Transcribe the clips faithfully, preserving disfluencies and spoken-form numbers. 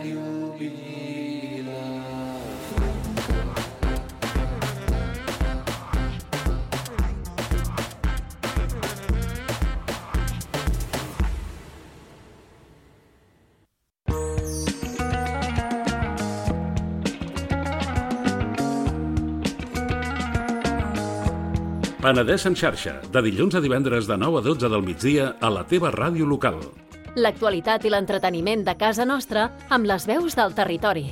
Ràdio Vila. Penedès en xarxa, de dilluns a divendres de nou a dotze del migdia a la teva ràdio local. L'actualitat i l'entreteniment de casa nostra amb les veus del territori.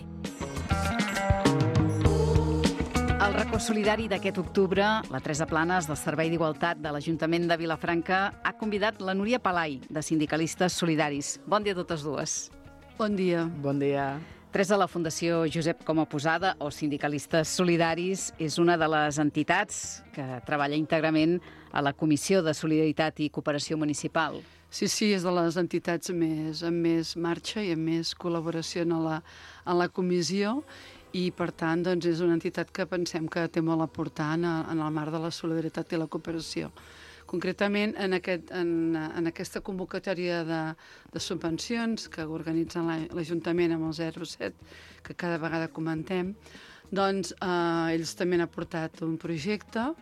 El racó solidari d'aquest octubre, la Teresa Planes del Servei d'Igualtat de l'Ajuntament de Vilafranca ha convidat la Núria Palai, de Sindicalistes Solidaris. Bon dia a totes dues. Bon dia. Bon dia. Teresa, la Fundació Josep Coma Posada, o Sindicalistes Solidaris, és una de les entitats que treballa íntegrament a la Comissió de Solidaritat i Cooperació Municipal. Sí, sí, és de les entitats més, amb més marxa i amb més col·laboració en la, en la comissió i, per tant, doncs, és una entitat que pensem que té molt a aportar en, en el marc de la solidaritat i la cooperació. Concretament, en, aquest, en, en aquesta convocatòria de, de subvencions que organitza l'Ajuntament amb el zero set, que cada vegada comentem, doncs eh, ells també han aportat un projecte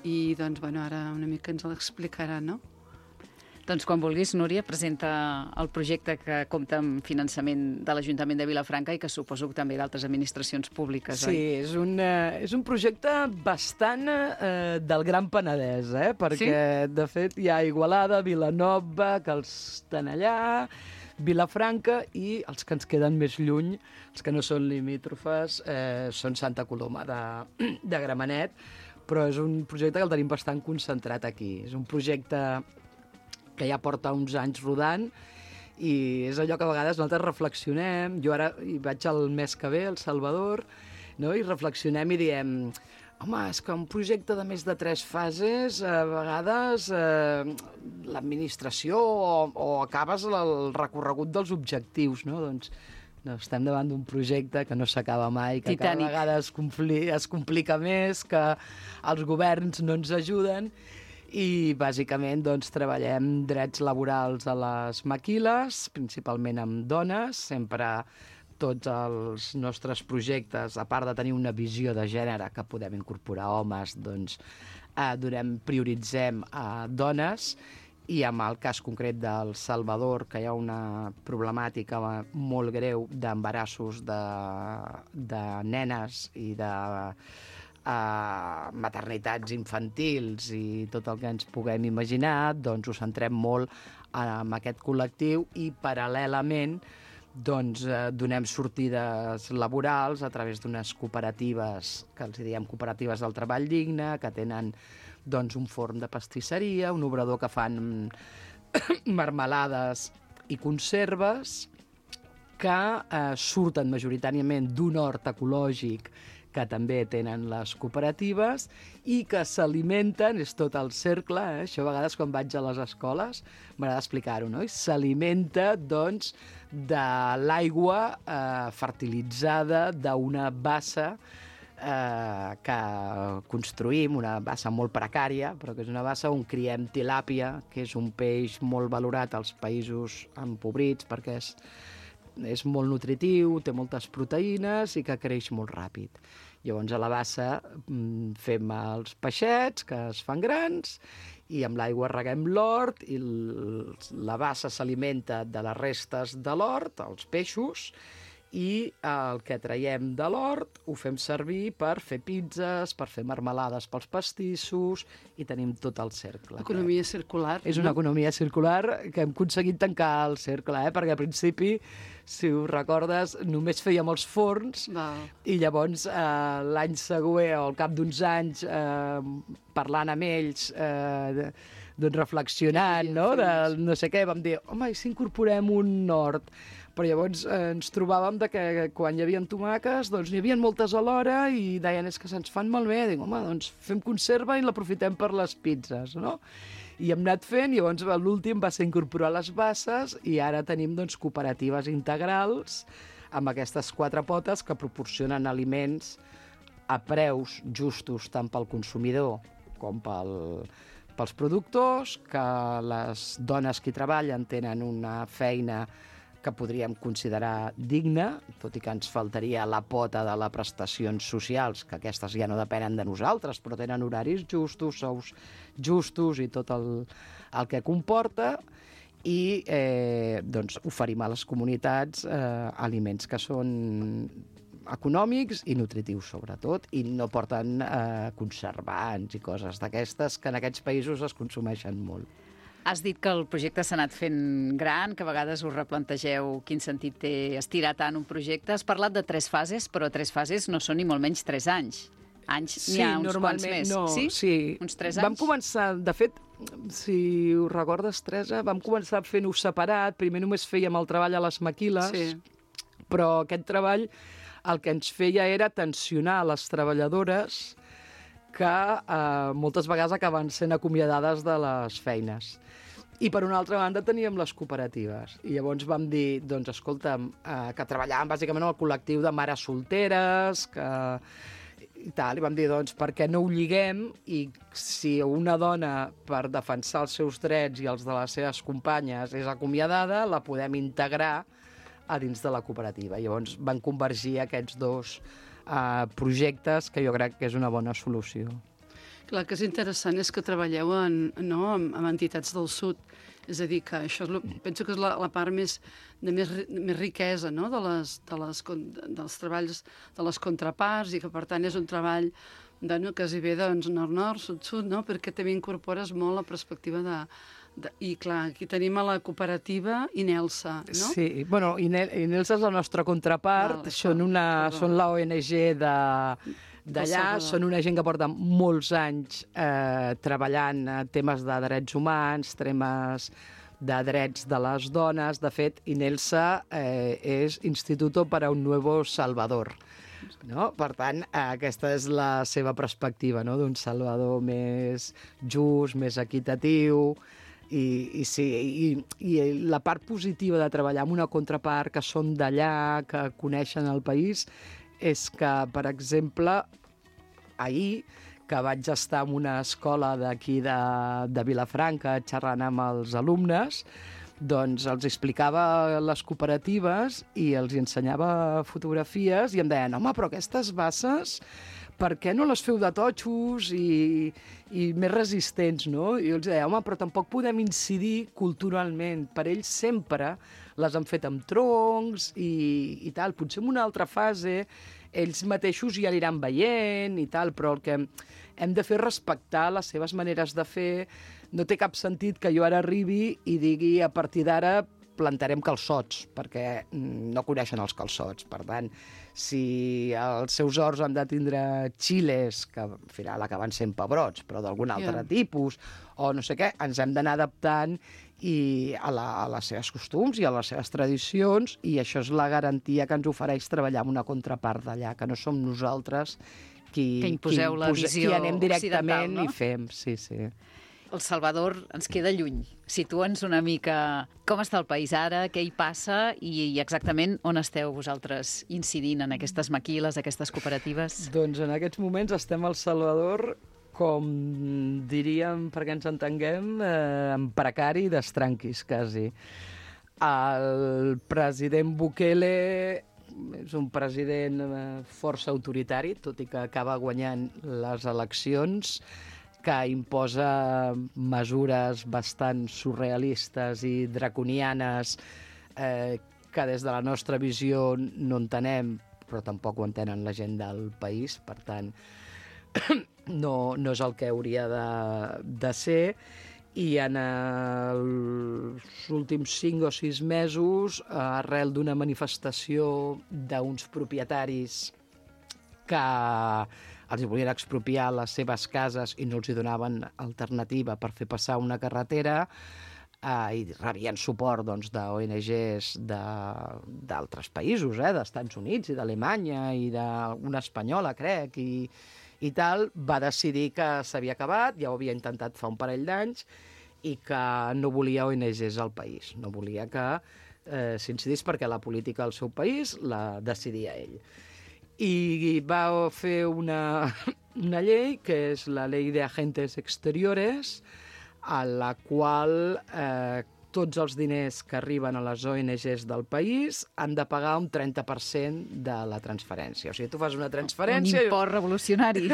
i doncs, bueno, ara una mica ens l'explicarà, no? Doncs quan vulguis, Núria, presenta el projecte que compta amb finançament de l'Ajuntament de Vilafranca i que suposo que també d'altres administracions públiques, sí, oi? Sí, és un, uh, és un projecte bastant uh, del Gran Penedès, eh? Perquè, sí? De fet, hi ha Igualada, Vilanova, que els estan allà, Vilafranca, i els que ens queden més lluny, els que no són limítrofes, eh, són Santa Coloma de, de Gramenet, però és un projecte que el tenim bastant concentrat aquí. És un projecte que ja porta uns anys rodant i és allò que a vegades nosaltres reflexionem. Jo ara hi vaig el mes que ve, al Salvador, no? I reflexionem i diem, home, és que un projecte de més de tres fases, a vegades eh, l'administració o, o acabes el recorregut dels objectius, no? Doncs no, estem davant d'un projecte que no s'acaba mai, que Titànic. Cada vegada es, compli, es complica més, que els governs no ens ajuden. I, bàsicament, doncs, treballem drets laborals a les maquiles, principalment amb dones. Sempre tots els nostres projectes, a part de tenir una visió de gènere que podem incorporar homes, doncs, eh, donem, prioritzem a dones. I amb el cas concret del Salvador, que hi ha una problemàtica molt greu d'embarassos de, de nenes i de a maternitats infantils i tot el que ens puguem imaginar, doncs ho centrem molt en aquest col·lectiu i paral·lelament doncs, eh, donem sortides laborals a través d'unes cooperatives, que els diem cooperatives del treball digne, que tenen doncs, un forn de pastisseria, un obrador que fan marmelades i conserves, que eh, surten majoritàriament d'un hort ecològic que també tenen les cooperatives i que s'alimenten, és tot el cercle, eh? Això a vegades quan vaig a les escoles m'agrada explicar-ho, no? I s'alimenta, doncs, de l'aigua eh, fertilitzada d'una bassa eh, que construïm, una bassa molt precària, però que és una bassa on criem tilàpia, que és un peix molt valorat als països empobrits perquè és és molt nutritiu, té moltes proteïnes i que creix molt ràpid. Llavors a la bassa fem els peixets que es fan grans i amb l'aigua reguem l'hort i la bassa s'alimenta de les restes de l'hort, els peixos, i el que traiem de l'hort ho fem servir per fer pizzas, per fer marmelades pels pastissos i tenim tot el cercle. Economia circular. És una no? economia circular que hem aconseguit tancar el cercle, eh? Perquè al principi, si ho recordes, només fèiem els forns Val. I llavors eh, l'any següent o al cap d'uns anys eh, parlant amb ells, eh, doncs reflexionant, no? De no sé què, vam dir, home, i si incorporem un hort? Però llavors eh, ens trobàvem de que quan hi havia tomaques, doncs n'hi havia moltes alhora i deien, és que se'ns fan malbé. Dic, home, doncs fem conserva i l'aprofitem per les pizzas, no? I hem anat fent, i llavors l'últim va ser incorporar les basses i ara tenim doncs, cooperatives integrals amb aquestes quatre potes que proporcionen aliments a preus justos tant pel consumidor com pel, pels productors, que les dones que hi treballen tenen una feina que podríem considerar digna, tot i que ens faltaria la pota de les prestacions socials, que aquestes ja no depenen de nosaltres, però tenen horaris justos, sous justos i tot el, el que comporta, i eh, doncs, oferim a les comunitats eh, aliments que són econòmics i nutritius, sobretot, i no porten eh, conservants i coses d'aquestes que en aquests països es consumeixen molt. Has dit que el projecte s'ha anat fent gran, que a vegades us replantegeu quin sentit té estirar tant un projecte. Has parlat de tres fases, però tres fases no són ni molt menys tres anys. Anys n'hi ha uns quants més. No, sí? sí? Uns tres anys? Vam començar, de fet, si ho recordes, Teresa, vam començar fent-ho separat. Primer només fèiem el treball a les maquiles, Sí. però aquest treball el que ens feia era tensionar les treballadores que eh, moltes vegades acaben sent acomiadades de les feines. I per una altra banda teníem les cooperatives. I llavors vam dir, doncs, escolta'm, eh, que treballàvem bàsicament amb el col·lectiu de mares solteres, que i tal, i vam dir, doncs, per què no ho lliguem, i si una dona, per defensar els seus drets i els de les seves companyes, és acomiadada, la podem integrar a dins de la cooperativa. I llavors van convergir aquests dos eh, projectes, que jo crec que és una bona solució. Clar, que és interessant és que treballeu en, no, amb, amb entitats del sud. És a dir, que això és lo, penso que és la, la part més, de més, més riquesa, no? de les, de les, dels treballs de les contraparts, i que per tant és un treball de, no, quasi bé doncs, nord-nord, sud-sud, no? Perquè també incorpores molt la perspectiva de, de... I clar, aquí tenim a la cooperativa Inelsa, no? Sí, bueno, Inel, Inelsa és la nostra contrapart, Val, són, una, són la O N G de... d'allà, són una gent que porta molts anys eh, treballant a temes de drets humans, temes de drets de les dones. De fet, Inelsa eh, és Instituto para un Nuevo Salvador. No? Per tant, eh, aquesta és la seva perspectiva, no? D'un Salvador més just, més equitatiu. I, i, sí, i, i la part positiva de treballar amb una contrapart que són d'allà, que coneixen el país, és que, per exemple, ahir, que vaig estar en una escola d'aquí de, de Vilafranca xerrant amb els alumnes, doncs els explicava les cooperatives i els ensenyava fotografies i em deien, home, però aquestes basses, per què no les feu de totxos i, i més resistents, no? I jo els deia, home, però tampoc podem incidir culturalment. Per ells sempre les han fet amb troncs i, i tal. Potser en una altra fase ells mateixos ja aniran veient i tal, però el que hem de fer és respectar les seves maneres de fer. No té cap sentit que jo ara arribi i digui a partir d'ara plantarem calçots, perquè no coneixen els calçots. Per tant, si els seus horts han de tindre xiles, que al final acaben sent pebrots, però d'algun altre yeah. tipus, o no sé què, ens hem d'anar adaptant i a, la, a les seves costums i a les seves tradicions, i això és la garantia que ens ofereix treballar amb una contrapart d'allà, que no som nosaltres qui, que imposeu qui, la visió qui anem directament no? i fem. Sí, sí. El Salvador ens queda lluny. Situa'ns una mica com està el país ara, què hi passa i exactament on esteu vosaltres incidint en aquestes maquiles, aquestes cooperatives? Doncs en aquests moments estem al Salvador, com diríem, perquè ens entenguem, eh, en precari d'estranquis, quasi. El president Bukele és un president força autoritari, tot i que acaba guanyant les eleccions, que imposa mesures bastant surrealistes i draconianes eh, que des de la nostra visió no entenem, però tampoc ho entenen la gent del país, per tant, no, no és el que hauria de, de ser. I en els últims cinc o sis mesos, arrel d'una manifestació d'uns propietaris que els volien expropiar les seves cases i no els hi donaven alternativa per fer passar una carretera, eh, i rebien suport doncs, d'O N Ges d'altres països, eh, d'Estats Units i d'Alemanya i d'una espanyola, crec, i, i tal, va decidir que s'havia acabat, ja ho havia intentat fa un parell d'anys, i que no volia O N Ges al país, no volia que eh, s'incidís perquè la política al seu país la decidia ell. I va fer una, una llei, que és la Ley de Agentes Exteriores, a la qual eh, tots els diners que arriben a les O N Ges del país han de pagar un trenta per cent de la transferència. O sigui, tu fas una transferència... Un import revolucionari.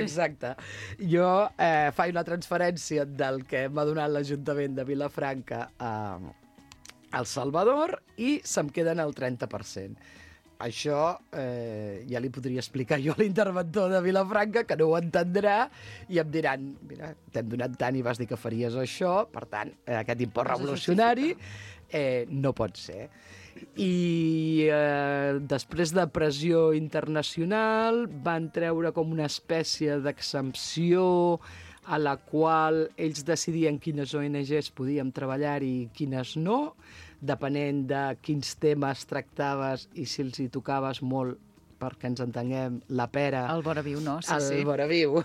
Exacte. Jo eh, faig una transferència del que m'ha donat l'Ajuntament de Vilafranca a, a El Salvador i se'm queden el trenta per cent. Això eh, ja li podria explicar jo a l'interventor de Vilafranca, que no ho entendrà, i em diran, mira, t'hem donat tant i vas dir que faries això, per tant, eh, aquest import revolucionari eh, no pot ser. I eh, després de pressió internacional van treure com una espècie d'exempció a la qual ells decidien quines O N Ges podíem treballar i quines no, depenent de quins temes tractaves i si els hi tocaves molt, perquè ens entenguem, la pera... El vora viu, no? Sí, el sí. vora viu.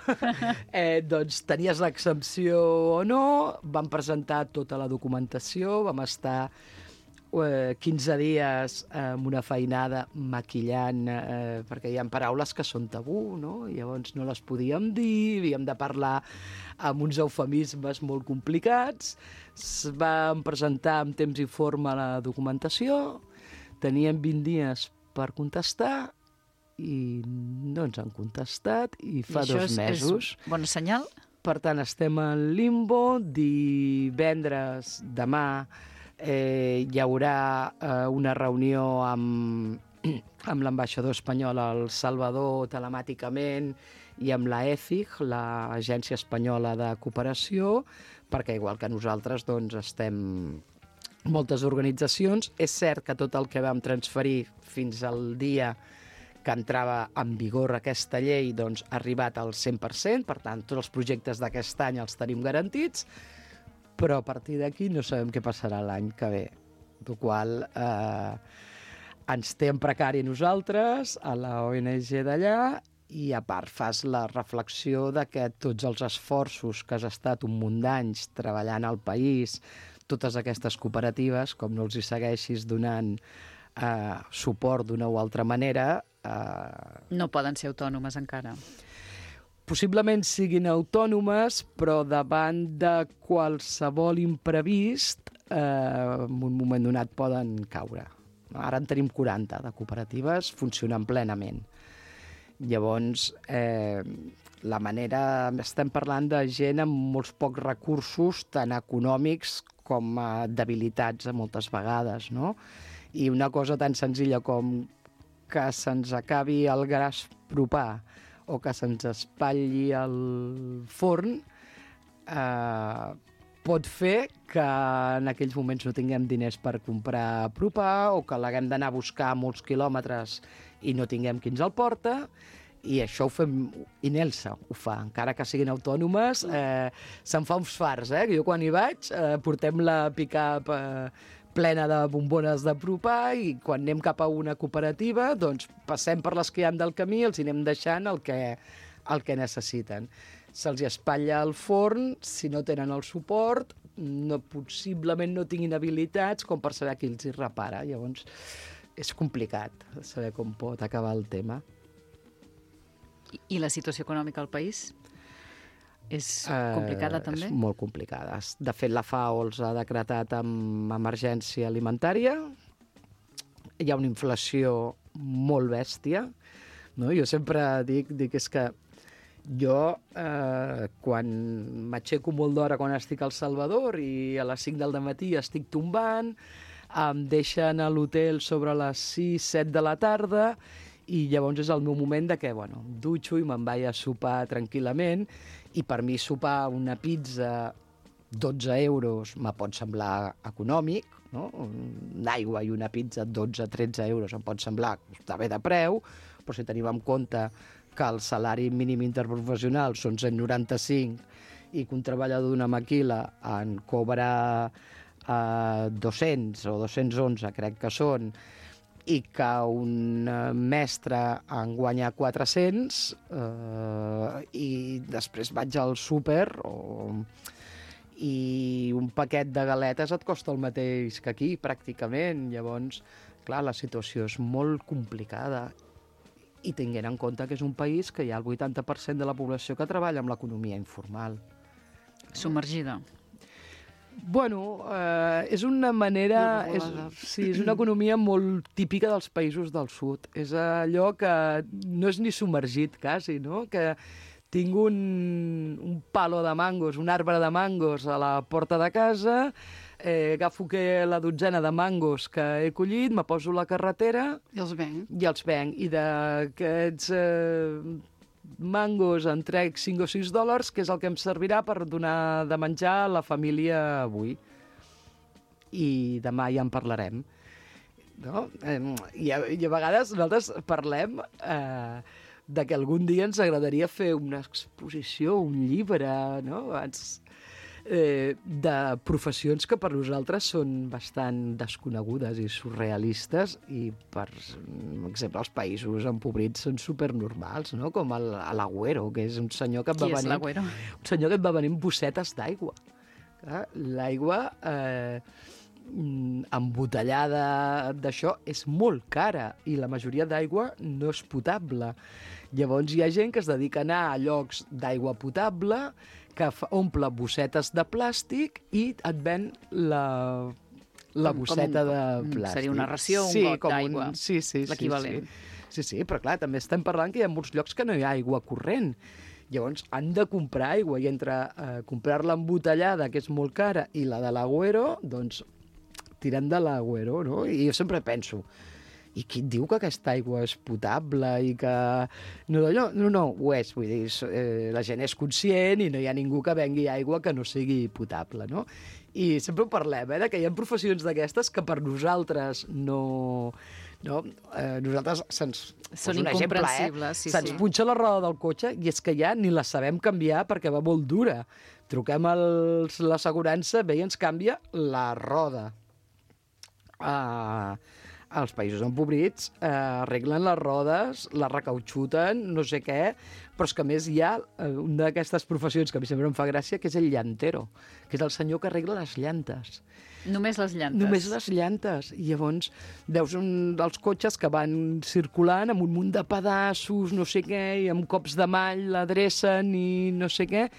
eh, doncs tenies l'exempció o no, vam presentar tota la documentació, vam estar eh, quinze dies eh, amb una feinada maquillant, eh, perquè hi ha paraules que són tabú, no? I llavors no les podíem dir, havíem de parlar amb uns eufemismes molt complicats. Vam presentar amb temps i forma la documentació, teníem vint dies per contestar i no ens han contestat i fa I dos és, mesos. És bon senyal? Per tant, estem en limbo. Divendres, demà, eh, hi haurà eh, una reunió amb, amb l'ambaixador espanyol al Salvador telemàticament i amb la E F I G, l'Agència Espanyola de Cooperació, perquè igual que nosaltres doncs, estem moltes organitzacions. És cert que tot el que vam transferir fins al dia que entrava en vigor aquesta llei doncs, ha arribat al cent per cent, per tant, tots els projectes d'aquest any els tenim garantits, però a partir d'aquí no sabem què passarà l'any que ve. El qual eh, ens té en precari nosaltres, a la O N G d'allà, i a part fas la reflexió de que tots els esforços que has estat un munt d'anys treballant al país, totes aquestes cooperatives, com no els hi segueixis donant eh, suport d'una o altra manera... Eh, no poden ser autònomes encara. Possiblement siguin autònomes, però davant de qualsevol imprevist, eh, en un moment donat poden caure. Ara en tenim quaranta de cooperatives funcionant plenament. Llavors, eh, la manera... Estem parlant de gent amb molts pocs recursos, tant econòmics com eh, debilitats moltes vegades, no? I una cosa tan senzilla com que se'ns acabi el gas propà o que se'ns espatlli el forn, eh, pot fer que en aquells moments no tinguem diners per comprar propà o que l'haguem d'anar a buscar molts quilòmetres i no tinguem qui ens el porta, i això ho fem, i Nelsa ho fa, encara que siguin autònomes, eh, se'n fa uns fars, eh? Jo quan hi vaig eh, portem la pick-up eh, plena de bombones de propà i quan anem cap a una cooperativa doncs passem per les que hi ha del camí i els hi anem deixant el que, el que necessiten. Se'ls espatlla el forn, si no tenen el suport, no, possiblement no tinguin habilitats com per saber qui els hi repara. Llavors, és complicat saber com pot acabar el tema. I, i la situació econòmica al país? És complicada, eh, també? És molt complicada. De fet, la FAO els ha decretat amb emergència alimentària. Hi ha una inflació molt bèstia. No? Jo sempre dic, dic és que jo, eh, quan m'aixeco molt d'hora quan estic al Salvador i a les cinc del matí estic tombant, em deixen a l'hotel sobre les sis, set de la tarda i llavors és el meu moment de que, bueno, em dutxo i me'n vaig a sopar tranquil·lament i per mi sopar una pizza dotze euros me pot semblar econòmic, no? L'aigua i una pizza dotze tretze euros em pot semblar que està bé de preu, però si tenim en compte que el salari mínim interprofessional són cent noranta-cinc i que un treballador d'una maquila en cobra eh, dos-cents o dos-cents onze, crec que són, i que un mestre en guanya quatre-cents eh, i després vaig al súper o... i un paquet de galetes et costa el mateix que aquí, pràcticament. Llavors, clar, la situació és molt complicada i tinguent en compte que és un país que hi ha el vuitanta per cent de la població que treballa amb l'economia informal. Submergida. Bueno, eh, és una manera... És, sí, és una economia molt típica dels països del sud. És allò que no és ni submergit, quasi, no? Que tinc un, un palo de mangos, un arbre de mangos a la porta de casa, eh, agafo que la dotzena de mangos que he collit, me poso a la carretera... I els venc. I els venc. I d'aquests... Eh, mangos en trec cinc o sis dòlars, que és el que em servirà per donar de menjar a la família avui. I demà ja en parlarem. No? I, a, I a vegades nosaltres parlem eh, de que algun dia ens agradaria fer una exposició, un llibre, no? Abans, eh, de professions que per nosaltres són bastant desconegudes i surrealistes i, per exemple, els països empobrits són supernormals, no? Com el, l'Agüero, que és un senyor que et va Qui és venir... l'Agüero? Un senyor que et va venir amb bossetes d'aigua. Clar, l'aigua eh, embotellada d'això és molt cara i la majoria d'aigua no és potable. Llavors hi ha gent que es dedica a anar a llocs d'aigua potable, que fa, omple bossetes de plàstic i et ven la, la Com- bosseta com un- de plàstic. seria una ració, un sí, got com d'aigua, Un, sí, sí, sí, l'equivalent. Sí. sí, sí, però clar, també estem parlant que hi ha molts llocs que no hi ha aigua corrent. Llavors han de comprar aigua i entre eh, comprar-la embotellada, que és molt cara, i la de l'Agüero, doncs tirem de l'Agüero, no? I jo sempre penso, i qui et diu que aquesta aigua és potable i que... No, no, no, no ho és, vull dir, eh, la gent és conscient i no hi ha ningú que vengui aigua que no sigui potable, no? I sempre ho parlem, eh, que hi ha professions d'aquestes que per nosaltres no... no? Eh, nosaltres se'ns... Són poso un exemple, incomprensibles, sí, se'ns sí. punxa la roda del cotxe i és que ja ni la sabem canviar perquè va molt dura. Truquem a l'assegurança, bé, i ens canvia la roda. Uh, als països empobrits uh, arreglen les rodes, les recautxuten, no sé què, però és que a més hi ha uh, una d'aquestes professions que a mi sempre em fa gràcia, que és el llantero, que és el senyor que arregla les llantes. Només les llantes. Només les llantes. I llavors veus un dels cotxes que van circulant amb un munt de pedaços, no sé què, i amb cops de mall l'adrecen i no sé què,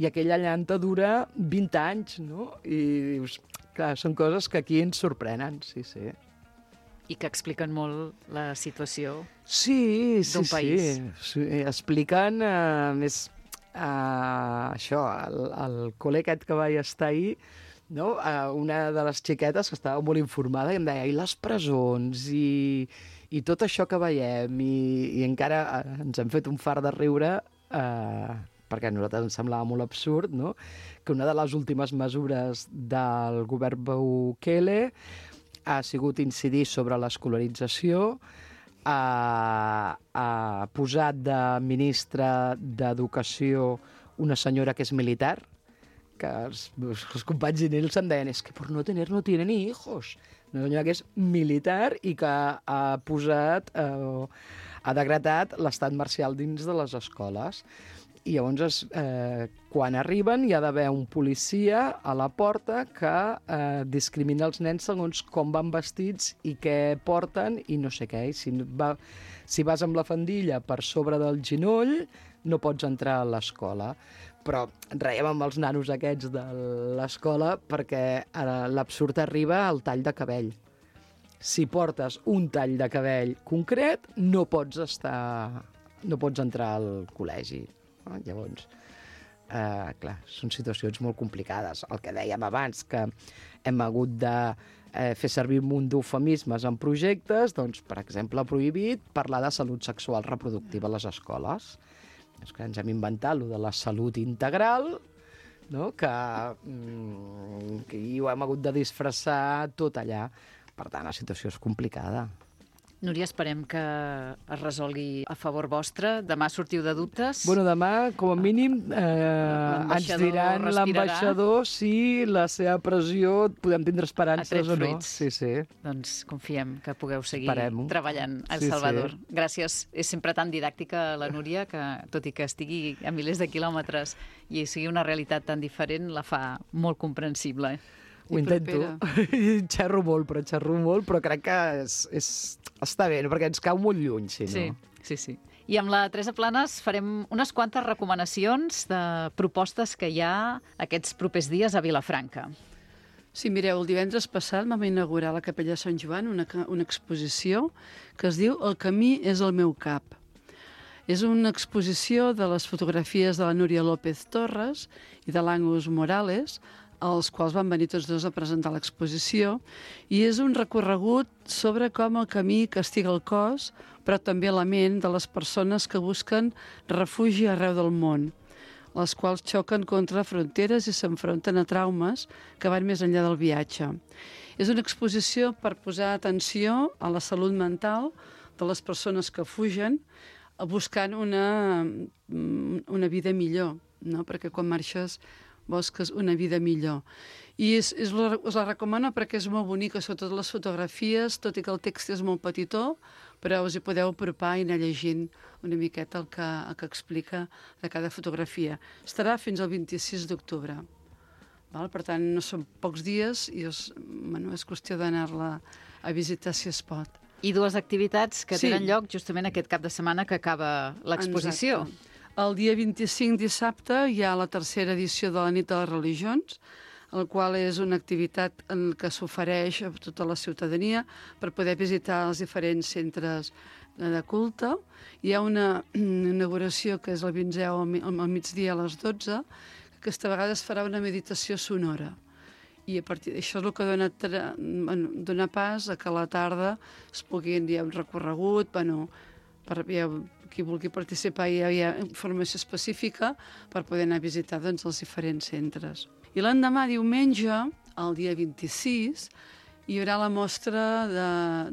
i aquella llanta dura vint anys, no? I dius, clar, són coses que aquí ens sorprenen, sí, sí. I que expliquen molt la situació Sí, sí, d'un país. sí. sí. Expliquen, uh, més, uh, això, el, el col·le aquest que vaig estar ahir, no? Uh, una de les xiquetes que estava molt informada i em deia, i les presons, i, i tot això que veiem, i, i encara uh, ens hem fet un fart de riure, uh, perquè a nosaltres ens semblava molt absurd, no? Que una de les últimes mesures del govern Bukele ha sigut incidir sobre l'escolarització, ha, ha posat de ministra d'Educació una senyora que és militar, que els, els companys d'inells em deien, és que per no tener no tiene ni hijos. Una senyora que és militar i que ha posat, eh, ha decretat l'estat marcial dins de les escoles. I llavors, eh, quan arriben, hi ha d'haver un policia a la porta que eh, discrimina els nens segons com van vestits i què porten i no sé què. I si, va, si vas amb la faldilla per sobre del genoll, no pots entrar a l'escola. Però reiem amb els nanos aquests de l'escola perquè ara l'absurd arriba al tall de cabell. Si portes un tall de cabell concret, no pots estar, no pots entrar al col·legi. No? Llavors, eh, clar, són situacions molt complicades. El que dèiem abans, que hem hagut de eh, fer servir un munt d'eufemismes en projectes, doncs, per exemple, ha prohibit parlar de salut sexual reproductiva a les escoles. És que ens hem inventat lo de la salut integral, no? que, mm, que hi ho hem hagut de disfressar tot allà. Per tant, la situació és complicada. Núria, esperem que es resolgui a favor vostre. Demà sortiu de dubtes. Bueno, demà, com a mínim, eh, ens L'ambaixador diran respirarà. l'ambaixador si la seva pressió podem tindre Ha esperances tret o no. fruits. Sí, sí. Doncs confiem que pugueu seguir Esperem-ho. treballant a El Sí, Salvador. sí. Gràcies. És sempre tan didàctica la Núria que, tot i que estigui a milers de quilòmetres i sigui una realitat tan diferent, la fa molt comprensible. Ho I intento. Xerro molt, però xerro molt, però crec que és, és, està bé, no? Perquè ens cau molt lluny, si no. Sí, sí, sí. I amb la Teresa Planes farem unes quantes recomanacions de propostes que hi ha aquests propers dies a Vilafranca. Sí, mireu, el divendres passat vam inaugurar a la Capella Sant Joan una, una exposició que es diu El camí és el meu cap. És una exposició de les fotografies de la Núria López Torres i de l'Angus Morales, els quals van venir tots dos a presentar l'exposició, i és un recorregut sobre com el camí castiga el cos, però també la ment de les persones que busquen refugi arreu del món, les quals xoquen contra fronteres i s'enfronten a traumes que van més enllà del viatge. És una exposició per posar atenció a la salut mental de les persones que fugen, buscant una, una vida millor, no? Perquè quan marxes busques una vida millor. I és, és, us la recomano perquè és molt bonica, sobretot les fotografies, tot i que el text és molt petitó, però us hi podeu apropar i anar llegint una miqueta el que, el que explica de cada fotografia. Estarà fins al vint-i-sis d'octubre. Per tant, no són pocs dies i és, bueno, és qüestió d'anar-la a visitar si es pot. I dues activitats que Sí. tenen lloc justament aquest cap de setmana que acaba l'exposició. Exacte. El dia vint-i-cinc, dissabte, hi ha la tercera edició de la Nit de les Religions, el qual és una activitat en què s'ofereix a tota la ciutadania per poder visitar els diferents centres de culte. Hi ha una inauguració que és el vinzè al migdia a les dotze, que aquesta vegada es farà una meditació sonora. I a partir d'això és el que dona, bueno, dona pas a que a la tarda es puguin, hi ha un recorregut, bueno, per, hi ha, qui vulgui participar hi ha, hi ha informació específica per poder anar a visitar doncs, els diferents centres. I l'endemà, diumenge, el dia vint-i-sis, hi haurà la mostra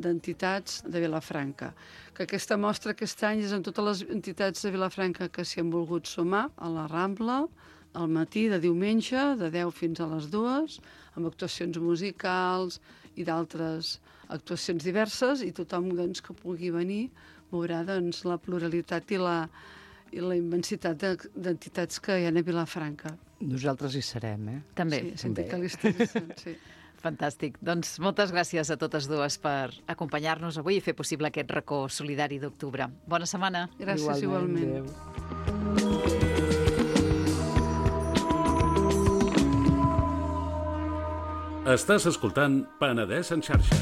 d'entitats de, de Vilafranca, que aquesta mostra aquest any és amb totes les entitats de Vilafranca que s'hi han volgut sumar a la Rambla, al matí de diumenge, de deu fins a les dues, amb actuacions musicals i d'altres actuacions diverses, i tothom doncs, que pugui venir veurà doncs, la pluralitat i la, i la immensitat d'entitats que hi ha a Vilafranca. Nosaltres hi serem, eh? També. Sí, sindicalistes hi són, sí. Fantàstic. Doncs moltes gràcies a totes dues per acompanyar-nos avui i fer possible aquest racó solidari d'octubre. Bona setmana. Gràcies, igualment. igualment. Estàs escoltant Penedès en xarxa.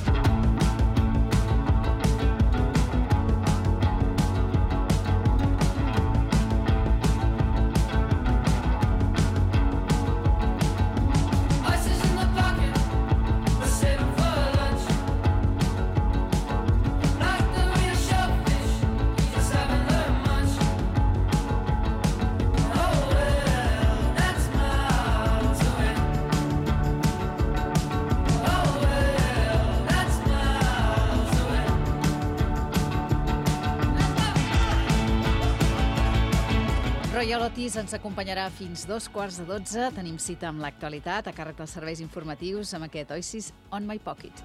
Royal Otis ens acompanyarà fins dos quarts de dotze. Tenim cita amb l'actualitat a càrrec dels serveis informatius amb aquest Oasis on my pocket.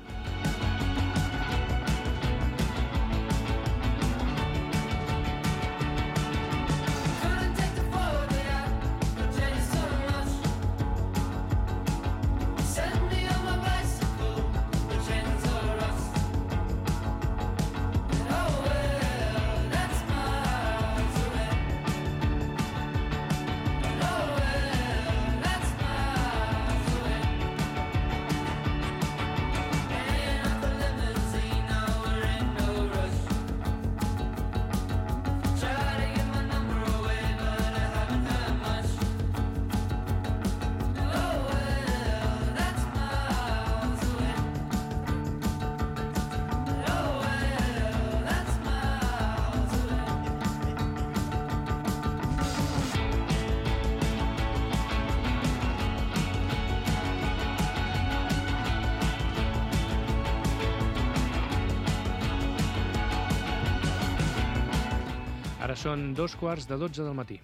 Ara són dos quarts de dotze del matí.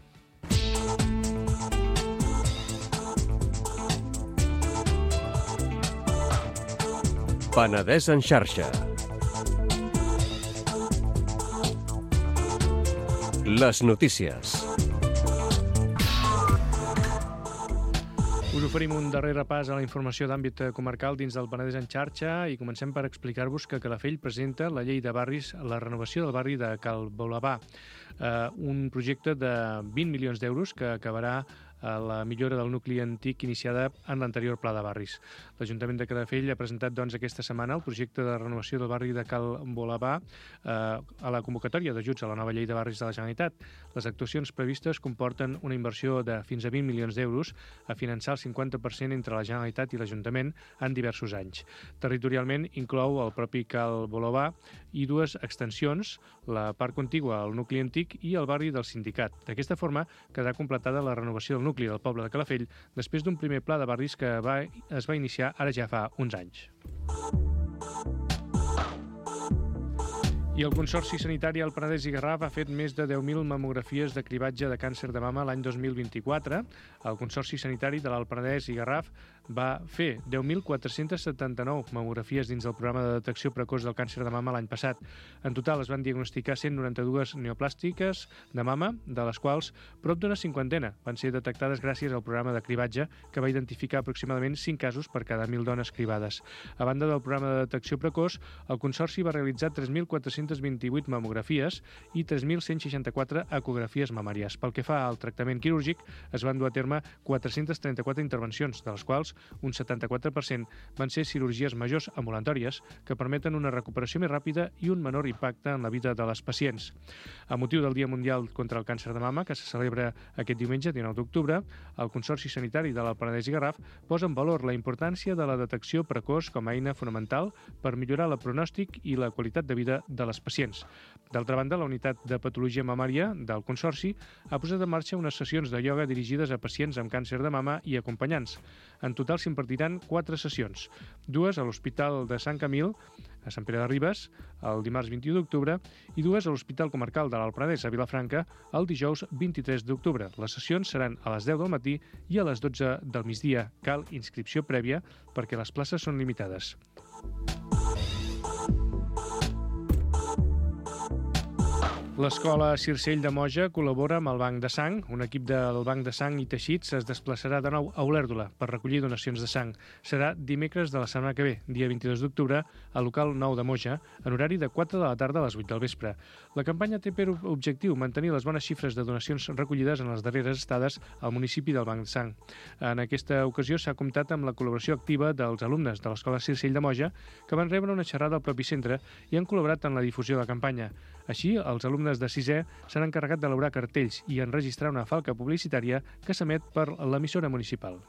Penedès en xarxa. Les notícies. Us oferim un darrer repàs a la informació d'àmbit comarcal dins del Penedès en xarxa i comencem per explicar-vos que Calafell presenta la llei de barris, la renovació del barri de Cal Bolabà, eh, un projecte de vint milions d'euros que acabarà a la millora del nucli antic iniciada en l'anterior pla de barris. L'Ajuntament de Calafell ha presentat doncs, aquesta setmana el projecte de renovació del barri de Cal Bolabà eh, a la convocatòria d'ajuts a la nova llei de barris de la Generalitat. Les actuacions previstes comporten una inversió de fins a vint milions d'euros a finançar el cinquanta per cent entre la Generalitat i l'Ajuntament en diversos anys. Territorialment inclou el propi Cal Bolabà i dues extensions, la part contigua al nucli antic i el barri del Sindicat. D'aquesta forma quedarà completada la renovació del nucli del poble de Calafell després d'un primer pla de barris que va, es va iniciar ara ja fa uns anys. I el Consorci Sanitari al Penedès i Garraf ha fet més de deu mil mamografies de cribatge de càncer de mama l'any dos mil vint-i-quatre. El Consorci Sanitari de l'Alt Penedès i Garraf va fer deu mil quatre-cents setanta-nou mamografies dins del programa de detecció precoç del càncer de mama l'any passat. En total es van diagnosticar cent noranta-dues neoplàstiques de mama, de les quals prop d'una cinquantena van ser detectades gràcies al programa de cribatge, que va identificar aproximadament cinc casos per cada mil dones cribades. A banda del programa de detecció precoç, el Consorci va realitzar tres mil quatre-cents vint-i-vuit mamografies i tres mil cent seixanta-quatre ecografies mamàries. Pel que fa al tractament quirúrgic, es van dur a terme quatre-cents trenta-quatre intervencions, de les quals un setanta-quatre per cent van ser cirurgies majors ambulatòries que permeten una recuperació més ràpida i un menor impacte en la vida de les pacients. A motiu del Dia Mundial contra el Càncer de Mama, que se celebra aquest diumenge, dinou d'octubre, el Consorci Sanitari de l'Alt Penedès i Garraf posa en valor la importància de la detecció precoç com a eina fonamental per millorar el pronòstic i la qualitat de vida de les pacients. D'altra banda, la unitat de patologia mamària del Consorci ha posat en marxa unes sessions de ioga dirigides a pacients amb càncer de mama i acompanyants. En total s'impartiran quatre sessions, dues a l'Hospital de Sant Camil, a Sant Pere de Ribes, el dimarts vint-i-u d'octubre, i dues a l'Hospital Comarcal de l'Alt Penedès, a Vilafranca, el dijous vint-i-tres d'octubre. Les sessions seran a les deu del matí i a les dotze del migdia. Cal inscripció prèvia perquè les places són limitades. L'Escola Circell de Moja col·labora amb el Banc de Sang. Un equip del Banc de Sang i Teixits es desplaçarà de nou a Olèrdola per recollir donacions de sang. Serà dimecres de la setmana que ve, dia vint-i-dos d'octubre, al local nou de Moja, en horari de quatre de la tarda a les vuit del vespre. La campanya té per objectiu mantenir les bones xifres de donacions recollides en les darreres estades al municipi del Banc de Sang. En aquesta ocasió s'ha comptat amb la col·laboració activa dels alumnes de l'Escola Circell de Moja, que van rebre una xerrada al propi centre i han col·laborat en la difusió de la campanya. Així, els alumnes de sisè s'han encarregat d'elaborar cartells i enregistrar una falca publicitària que s'emet per l'emissora municipal.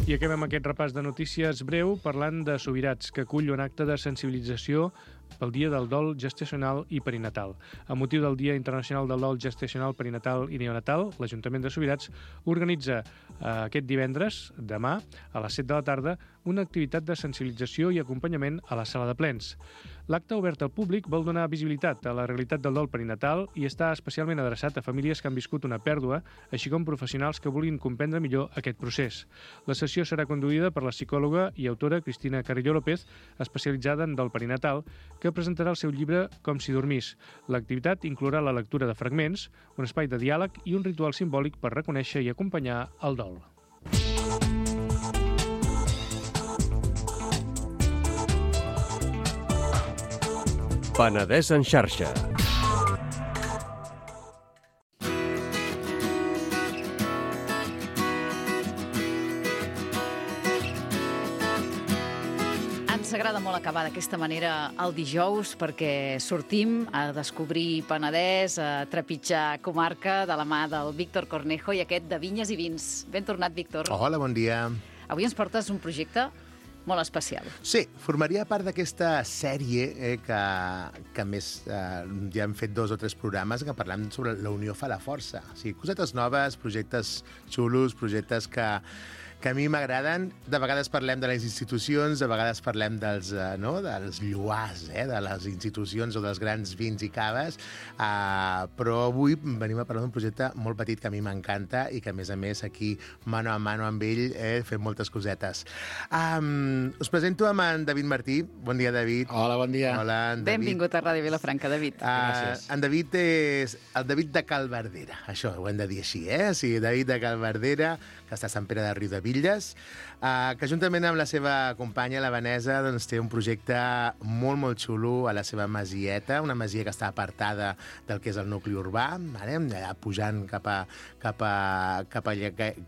I acabem aquest repàs de notícies breu parlant de Subirats, que acull un acte de sensibilització pel Dia del Dol Gestacional i Perinatal. A motiu del Dia Internacional del Dol Gestacional, Perinatal i Neonatal, l'Ajuntament de Subirats organitza eh, aquest divendres, demà, a les set de la tarda, una activitat de sensibilització i acompanyament a la sala de plens. L'acte obert al públic vol donar visibilitat a la realitat del dol perinatal i està especialment adreçat a famílies que han viscut una pèrdua, així com professionals que vulguin comprendre millor aquest procés. La sessió serà conduïda per la psicòloga i autora Cristina Carrillo López, especialitzada en dol perinatal, que presentarà el seu llibre Com si dormís. L'activitat inclourà la lectura de fragments, un espai de diàleg i un ritual simbòlic per reconèixer i acompanyar el dol. Penedès en xarxa. Ens agrada molt acabar d'aquesta manera el dijous perquè sortim a descobrir Penedès, a trepitjar comarca de la mà del Víctor Cornejo i aquest de Vinyes i Vins. Ben tornat, Víctor. Hola, bon dia. Avui ens portes un projecte molt especial. Sí, formaria part d'aquesta sèrie eh, que, que més eh, ja hem fet dos o tres programes que parlem sobre la unió fa la força. O sigui, cosetes noves, projectes xulos, projectes que, que a mi m'agraden. De vegades parlem de les institucions, de vegades parlem dels, eh, no, dels lluars, eh, de les institucions o dels grans vins i caves, eh, però avui venim a parlar d'un projecte molt petit que a mi m'encanta i que, a més a més, aquí, mano a mano amb ell, eh, fem moltes cosetes. Um, us presento amb en David Martí. Bon dia, David. Hola, bon dia. Hola, en David. Benvingut a Ràdio Vilafranca, David. Uh, Gràcies. En David és el David de Cal Verdera. Això ho hem de dir així, eh? O sigui, David de Cal Verdera, que està a Sant Pere de Riudebitlles, Bitlles, uh, que juntament amb la seva companya, la Vanessa, doncs, té un projecte molt, molt xulo a la seva masieta, una masia que està apartada del que és el nucli urbà, vale? Allà pujant cap a, cap a, cap a,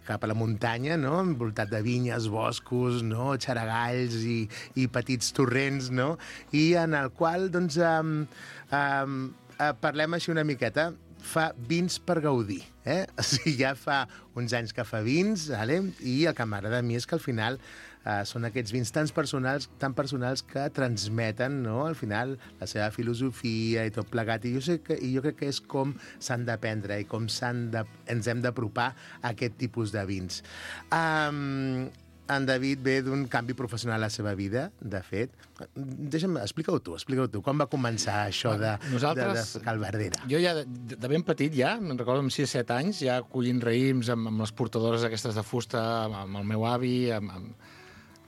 cap a la muntanya, no? Envoltat de vinyes, boscos, no? Xaragalls i, i petits torrents, no? I en el qual, doncs, um, um, uh, parlem així una miqueta, fa vins per gaudir, eh? O sigui, ja fa uns anys que fa vins, vale? I el que m'agrada a mi és que al final eh, són aquests vins tan personals, tan personals que transmeten, no?, al final la seva filosofia i tot plegat. I jo, sé que, i jo crec que és com s'han d'aprendre i com s'han de, ens hem d'apropar a aquest tipus de vins. Um, En David ve d'un canvi professional a la seva vida, de fet. Deixa'm, explica-ho tu, explica-ho tu. Com va començar això de, Nosaltres, de, de Calverdera? Jo ja, de, de ben petit ja, me'n recordo amb sis set anys, ja collint raïms amb, amb les portadores aquestes de fusta, amb, amb el meu avi, amb, amb,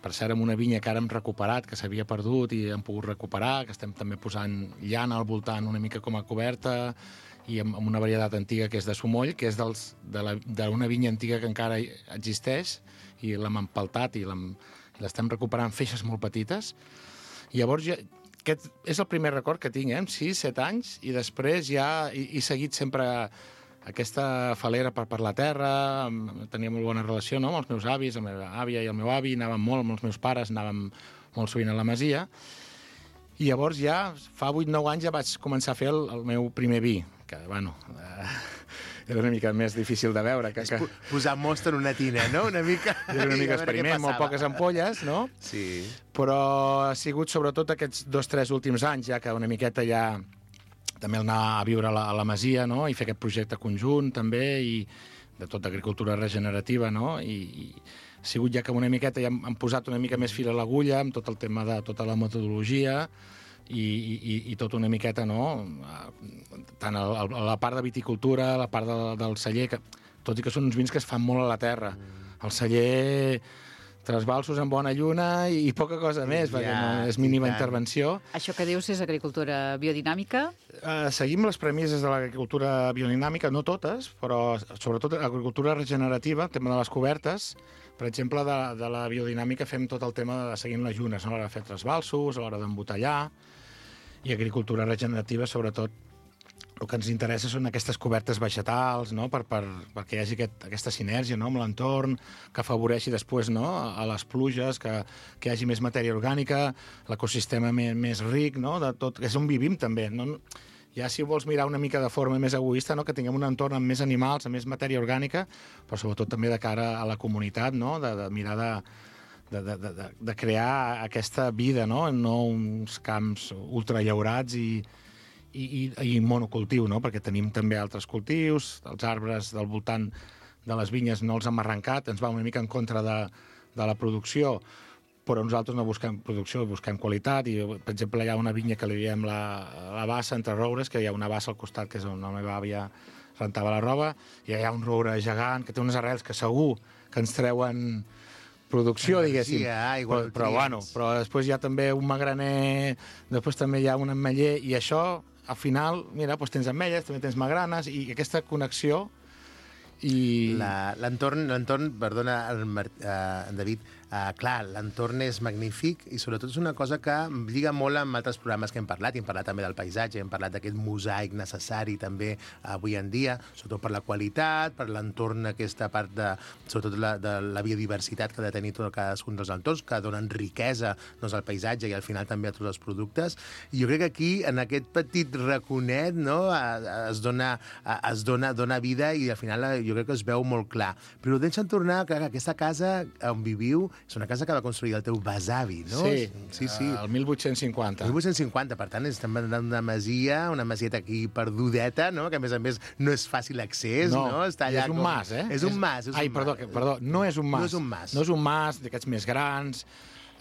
per cert, amb una vinya que ara hem recuperat, que s'havia perdut i hem pogut recuperar, que estem també posant llana al voltant una mica com a coberta, i amb, amb una varietat antiga que és de Sumoll, que és dels, de la, d'una vinya antiga que encara existeix, i l'hem empaltat i l'estem recuperant feixes molt petites. I llavors ja, aquest és el primer record que tinc, eh? Amb sis set anys, i després ja he, he seguit sempre aquesta falera per, per la terra, tenia molt bona relació, no?, amb els meus avis, amb la meva àvia i el meu avi, anàvem molt amb els meus pares, anàvem molt sovint a la masia, i llavors ja fa vuit nou anys ja vaig començar a fer el, el meu primer vi, que, bueno, eh, era una mica més difícil de veure. Que, que... Posar mostra en una tina, no? Una mica... Era una mica experiment, molt poques ampolles, no? Sí. Però ha sigut sobretot aquests dos, tres últims anys, ja que una miqueta ja també anar a viure a la, a la masia, no?, i fer aquest projecte conjunt, també, i de tot d'agricultura regenerativa, no?, i, i ha sigut ja que una miqueta ja hem, hem posat una mica més fil a l'agulla amb tot el tema de tota la metodologia, i, i, i tot una miqueta, no?, tant a, a la part de viticultura, a la part de, del celler, que, tot i que són uns vins que es fan molt a la terra. El celler, trasbalsos en bona lluna i, i poca cosa més, ja, perquè no, és mínima intervenció. Això que dius és agricultura biodinàmica? Uh, seguim les premisses de l'agricultura biodinàmica, no totes, però sobretot l'agricultura regenerativa, el tema de les cobertes. Per exemple, de, de la biodinàmica fem tot el tema de seguint les llunes, no? A l'hora de fer trasbalsos, a l'hora d'embotellar, i agricultura regenerativa, sobretot, el que ens interessa són aquestes cobertes vegetals, no?, per, per, perquè hi hagi aquest, aquesta sinergia, no?, amb l'entorn, que afavoreixi després, no?, a les pluges, que, que hi hagi més matèria orgànica, l'ecosistema més, més ric, no?, de tot, que és on vivim també. No? Ja si vols mirar una mica de forma més egoista, no?, que tinguem un entorn amb més animals, amb més matèria orgànica, però sobretot també de cara a la comunitat, no?, de, de mirar de, de, de, de, de crear aquesta vida, no?, no uns camps ultrallaurats i I, i, i monocultiu, no?, perquè tenim també altres cultius, els arbres del voltant de les vinyes no els hem arrencat, ens va una mica en contra de, de la producció, però nosaltres no busquem producció, busquem qualitat, i, per exemple, hi ha una vinya que li diem la, la bassa entre roures, que hi ha una bassa al costat, que és on la meva àvia rentava la roba, i hi ha un roure gegant que té unes arrels que segur que ens treuen producció, diguéssim. Sí, però, però, bueno, però després hi ha també un magraner, després també hi ha un ametller, i això, al final, mira, doncs tens ametlles, també tens magranes, i aquesta connexió i... L'entorn, l'entorn, perdona, el, uh, David, uh, clar, l'entorn és magnífic i sobretot és una cosa que lliga molt amb altres programes que hem parlat, i hem parlat també del paisatge, hem parlat d'aquest mosaic necessari també avui en dia, sobretot per la qualitat, per l'entorn, aquesta part de, sobretot la, de la biodiversitat que ha de tenir tot cadascun dels entorns, que donen riquesa, doncs, al paisatge i al final també a tots els productes. I jo crec que aquí, en aquest petit raconet, no?, es dona, es dona, dona vida, i al final jo crec que es veu molt clar. Però deixa'm tornar que aquesta casa on viviu és una casa que va construir el teu besavi, no? Sí, sí, sí. el mil vuit-cents cinquanta. mil vuit-cents cinquanta, per tant, estem parlant d'una masia, una masieta aquí perdudeta, no?, que a més a més no és fàcil accés, no? no? Està allà és un com... mas, eh? És un mas. És Ai, un perdó, mas. que, perdó, no és un mas. No és un mas. No és un mas d'aquests més grans,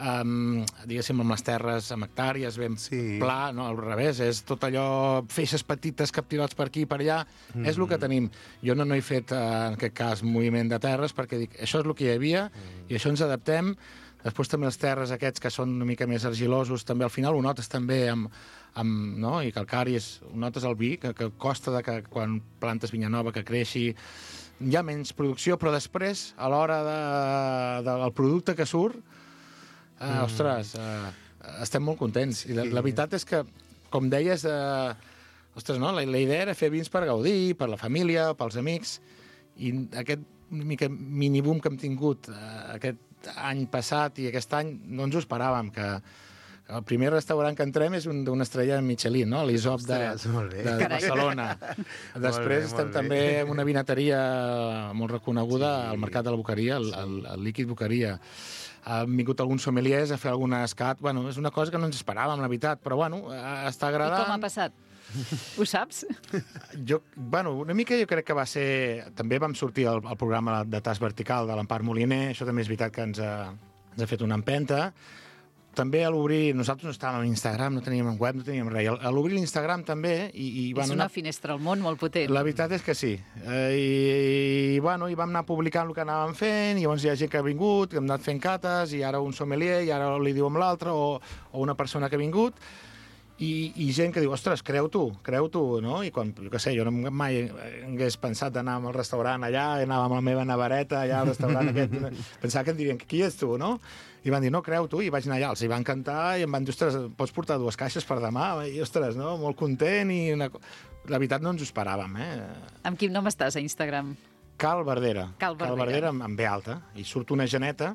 um, diguéssim, amb les terres, amb hectàrees, ben sí. pla, no, al revés, és tot allò, feixes petites captivats per aquí i per allà, mm. és el que tenim. Jo no, no he fet, en aquest cas, moviment de terres, perquè dic, això és el que hi havia, mm. i això ens adaptem. Després també els terres aquests, que són una mica més argilosos, també al final ho notes també amb, amb no? i calcaris, ho notes el vi, que, que costa de que quan plantes vinya nova que creixi, hi ha menys producció, però després, a l'hora de, de, del producte que surt, eh, mm. ostres, eh, estem molt contents. I la, la veritat és que, com deies, eh, ostres, no? la, la idea era fer vins per gaudir, per la família, pels amics, i aquest mica mini-boom que hem tingut eh, aquest any passat i aquest any no ens ho esperàvem, que el primer restaurant que entrem és un, d'una estrella Michelin, no? l'Isop de, de, de Barcelona. Després estem bé. també en una vinateria molt reconeguda sí. al Mercat de la Boqueria, el, el, el Líquid Boqueria. Han vingut alguns sommeliers a fer alguna escat. Bueno, és una cosa que no ens esperàvem, la veritat, però bueno, està agradant. I com ha passat? Ho saps? Jo, bueno, una mica jo crec que va ser... També vam sortir al, al programa de Tas Vertical de l'Empar Moliner, això també és veritat que ens ha, ens ha fet una empenta. També a l'obrir, nosaltres no estàvem a Instagram, no teníem web, no teníem res. A l'obrir l'Instagram també... I, i, és bueno, una anar... finestra al món molt potent. La veritat és que sí. Eh, i, i, bueno, i vam anar publicant el que anàvem fent, i llavors hi ha gent que ha vingut, que hem anat fent cates, i ara un sommelier, i ara li diu amb l'altre, o, o una persona que ha vingut, i, i gent que diu, ostres, creu tu, creu tu, no? I quan, jo què sé, jo no mai hagués pensat d'anar al restaurant allà, anava amb la meva navareta allà al restaurant aquest, pensava que em dirien, qui ets tu, no? I van dir, no, creu tu, i vaig anar allà, els hi van cantar, i em van dir, ostres, pots portar dues caixes per demà? I, ostres, no? Molt content, i una... la veritat no ens ho esperàvem, eh? Amb quin nom estàs a Instagram? Cal Verdera. Cal Verdera. Cal Verdera amb, amb B alta, i surt una geneta,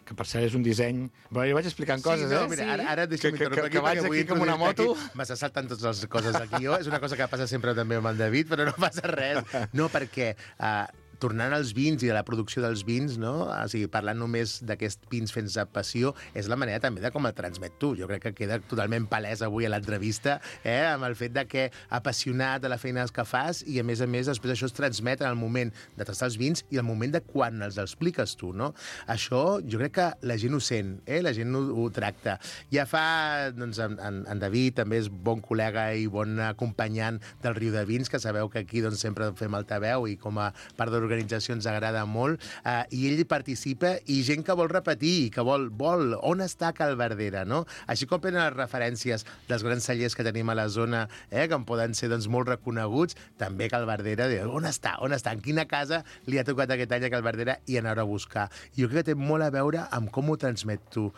que per cert és un disseny... Però jo vaig explicant coses, sí, no, eh? Mira, ara, ara deixa'm que, interrompre que, que vaig aquí com una moto. M'està saltant totes les coses del guió. És una cosa que passa sempre també amb el David, però no passa res. No, perquè... Uh, tornant als vins i a la producció dels vins, no? O sigui, parlant només d'aquests vins fets a passió, és la manera també de com el transmet tu. Jo crec que queda totalment palès avui a l'entrevista, eh? amb el fet de que apassionat de la feina que fas i, a més a més, després això es transmet en el moment de tastar els vins i el moment de quan els expliques tu, no? Això jo crec que la gent ho sent, eh? La gent ho, ho tracta. Ja fa, doncs, en, en David també és bon col·lega i bon acompanyant del Riu de Vins, que sabeu que aquí doncs, sempre fem altaveu i com a part de organització ens agrada molt, eh, i ell participa, i gent que vol repetir, que vol, vol, on està Cal Verdera, no? Així com prenen les referències dels grans cellers que tenim a la zona, eh, que en poden ser doncs, molt reconeguts, també Cal Verdera, on està, on està, en quina casa li ha tocat aquest any a Cal Verdera i anar a buscar. Jo crec que té molt a veure amb com ho transmet tu.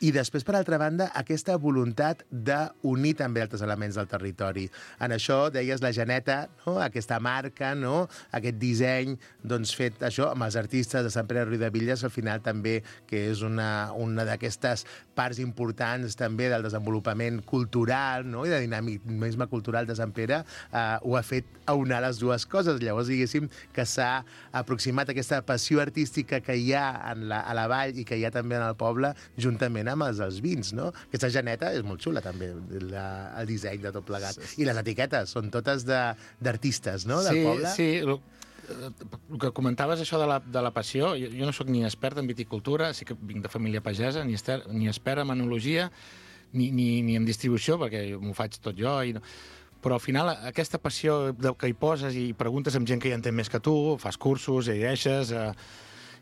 I després, per altra banda, aquesta voluntat d'unir també altres elements del territori. En això, deies, la geneta, no? Aquesta marca, no? Aquest disseny doncs, fet això amb els artistes de Sant Pere de Riudebitlles, al final també, que és una, una d'aquestes parts importants també del desenvolupament cultural, no? I de dinamisme cultural de Sant Pere, eh, ho ha fet aunar les dues coses. Llavors, diguéssim, que s'ha aproximat aquesta passió artística que hi ha en la, a la vall i que hi ha també en el poble, juntament amb els dels vins, no? Aquesta geneta és molt xula, també, la, el disseny de tot plegat. I les etiquetes són totes d'artistes, no?, del sí, poble. Sí, sí. El que comentaves, això de la, de la passió, jo, jo no sóc ni expert en viticultura, sí que vinc de família pagesa, ni, ester, ni expert en enologia, ni, ni, ni en distribució, perquè m'ho faig tot jo, i no... Però al final aquesta passió que hi poses i preguntes amb gent que hi entén més que tu, fas cursos, llegeixes... Eh,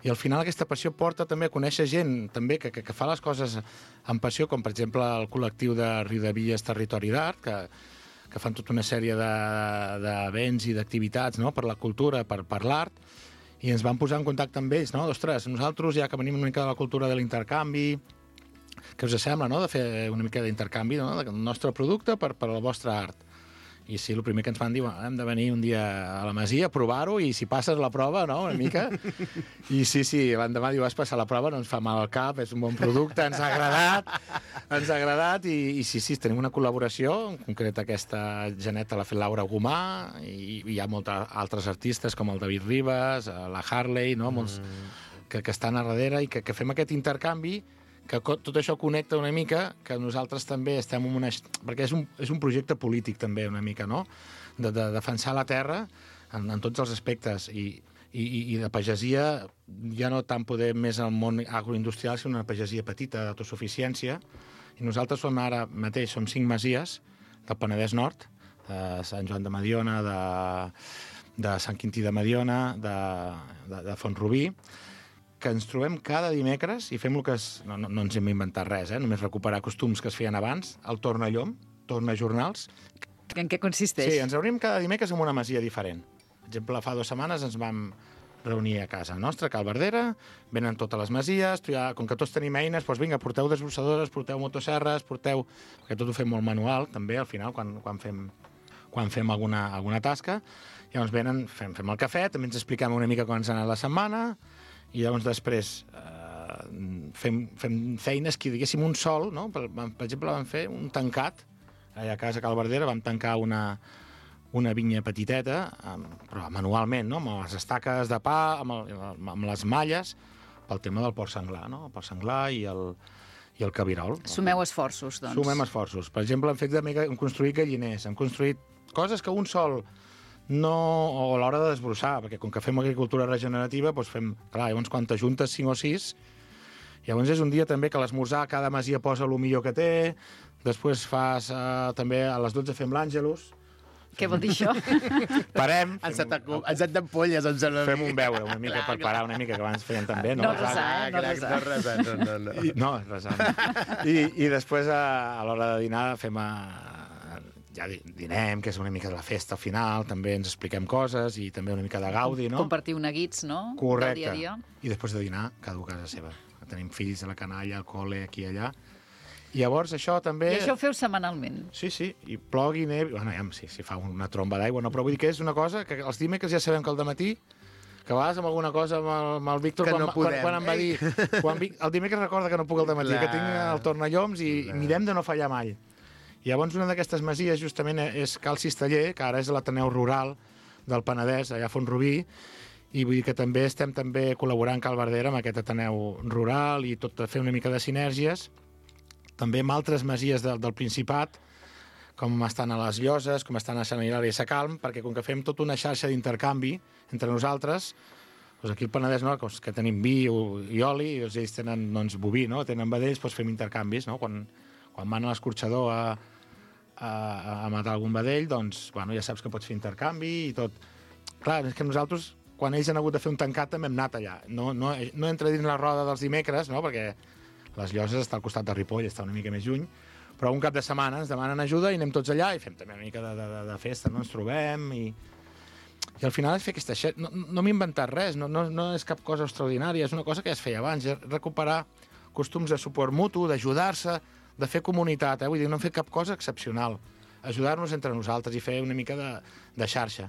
I al final aquesta passió porta també a conèixer gent també que, que, que fa les coses amb passió, com per exemple el col·lectiu de Riudebitlles Territori d'Art, que, que fan tota una sèrie d'events i d'activitats, no?, per la cultura, per, per l'art, i ens vam posar en contacte amb ells, no? Ostres, nosaltres, ja que venim una mica de la cultura de l'intercanvi, què us sembla, no?, de fer una mica d'intercanvi, no?, del nostre producte per, per al vostre art. I sí, el primer que ens van dir, bueno, hem de venir un dia a la Masia a provar-ho i si passes la prova, no?, una mica. I sí, sí, l'endemà diu, vas passar la prova, no ens fa mal al cap, és un bon producte, ens ha agradat, ens ha agradat, i, i sí, sí, tenim una col·laboració, en concret aquesta geneta l'ha fet Laura Gomà, i, i hi ha molts altres artistes com el David Ribas, la Harley, no?, molts mm. que, que estan a darrere i que, que fem aquest intercanvi, que tot això connecta una mica, que nosaltres també estem en una... Perquè és un, és un projecte polític també una mica, no?, de, de defensar la terra en, en tots els aspectes, i, i, i de pagesia ja no tant poder més al món agroindustrial, sinó una pagesia petita, d'autosuficiència, i nosaltres som ara mateix, som cinc masies del Penedès Nord, de Sant Joan de Mediona, de, de Sant Quintí de Mediona, de, de, de Font-rubí, que ens trobem cada dimecres i fem el que és... No, no, no ens hem inventat res, eh? Només recuperar costums que es feien abans, el tornallom, tornajornals. En què consisteix? Sí, ens reunim cada dimecres en una masia diferent. Per exemple, fa dues setmanes ens vam reunir a casa nostra, a Cal Verdera, venen totes les masies, ja, com que tots tenim eines, doncs vinga, porteu desbrossadores, porteu motosserres, porteu... Perquè tot ho fem molt manual, també, al final, quan, quan fem, quan fem alguna, alguna tasca. Llavors venen, fem, fem el cafè, també ens expliquem una mica com ens ha anat la setmana, i llavors després eh, fem, fem feines que, diguéssim, un sol, no? Per, per exemple, vam fer un tancat, allà a casa a Cal Verdera, vam tancar una... una vinya petiteta, però manualment, no? Amb les estaques de pa, amb, el, amb les malles, pel tema del porc senglar, no? El porc senglar i el, i el cabirol. Sumeu esforços, doncs. Sumem esforços. Per exemple, hem fet de mega, hem construït galliners, hem construït coses que un sol no... o a l'hora de desbrossar, perquè com que fem agricultura regenerativa, doncs fem... Clar, llavors quan t'ajuntes cinc o sis, llavors és un dia també que l'esmorzar cada masia posa el millor que té, després fas eh, també a les dotze fem l'Àngelus. Què vol dir això? Parem. Ens et d'ampolles, em sembla. Fem un beure una mica per parar una mica, que abans feien també. No resar, eh? No resar. No resar, no, no, no. I, no, resar. I, I després, a, a l'hora de dinar, fem a, ja dinem, que és una mica de la festa al final, també ens expliquem coses i també una mica de gaudi, no? Compartir neguits, no? Correcte. Del dia a dia. I després de dinar, cada un a casa seva. Tenim fills a la canalla, al col·le, aquí i allà. I llavors això també... I això ho feu setmanalment? Sí, sí, i plogui, nevi... Bueno, ja, sí, si fa una tromba d'aigua, no, però vull dir que és una cosa que els dimecres ja sabem que al dematí, que a vegades amb alguna cosa amb el, amb el Víctor, que quan, no quan, quan em va dir... Quan, el dimecres recorda que no puc al dematí, que tinc el tornalloms i Clar. mirem de no fallar mai. I llavors una d'aquestes masies justament és Cal Cisteller, que ara és l'Ateneu Rural del Penedès, allà a Font-rubí, i vull dir que també estem també col·laborant Cal Verdera amb aquest Ateneu Rural i tot a fer una mica de sinergies, també amb altres masies del, del Principat, com estan a les Lloses, com estan a Sant Hilari i Sacalm, perquè com que fem tota una xarxa d'intercanvi entre nosaltres, doncs aquí al Penedès, no, que tenim vi i oli, i ells tenen doncs, boví, no? Tenen vedells, doncs fem intercanvis. No? Quan, quan van a l'escorxador a, a, a matar algun vedell, doncs bueno, ja saps que pots fer intercanvi i tot. Clar, és que nosaltres, quan ells han hagut de fer un tancat, també hem anat allà. No, no, no entra dins la roda dels dimecres, no? Perquè les Lloses està al costat de Ripoll, està una mica més lluny, però un cap de setmana ens demanen ajuda i anem tots allà i fem també una mica de, de, de festa, no? Ens trobem i... I al final és fer aquesta... No, no m'he inventat res, no, no, no és cap cosa extraordinària, és una cosa que ja es feia abans, és recuperar costums de suport mutu, d'ajudar-se, de fer comunitat, eh? Vull dir, no hem fet cap cosa excepcional. Ajudar-nos entre nosaltres i fer una mica de, de xarxa.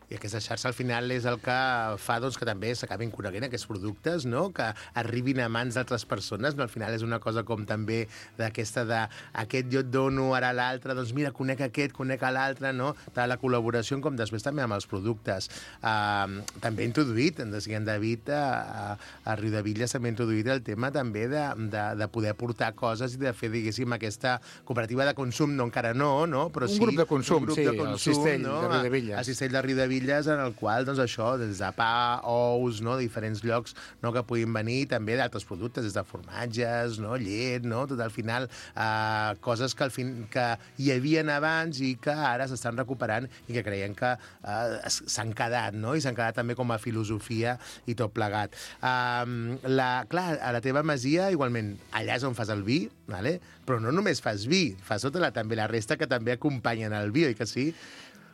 I aquesta xarxa al final és el que fa doncs, que també s'acabin coneguent aquests productes, no? Que arribin a mans d'altres persones. No? Al final és una cosa com també d'aquesta de aquest jo et dono, ara l'altre, doncs mira, conec aquest, conec l'altre, no? De la col·laboració com després també amb els productes. Uh, també he introduït, en en David, a, a Riudevilles també he introduït el tema també de, de, de poder portar coses i de fer, diguéssim, aquesta cooperativa de consum, no encara no, no? Però un sí, grup de consum, un grup sí, de consum, el Cistell no? de Riudevilles. A, a Cistell de Riudevilles, en el qual, doncs això, des de pa, ous, no? Diferents llocs no? Que puguin venir, també d'altres productes, des de formatges, no? Llet, no? Tot al final, eh, coses que, al fin, que hi havien abans i que ara s'estan recuperant i que creiem que eh, s'han quedat, no? I s'han quedat també com a filosofia i tot plegat. Eh, la, clar, a la teva masia, igualment, allà és on fas el vi, vale? Però no només fas vi, fas tota la, també la resta que també acompanyen el vi, oi que sí?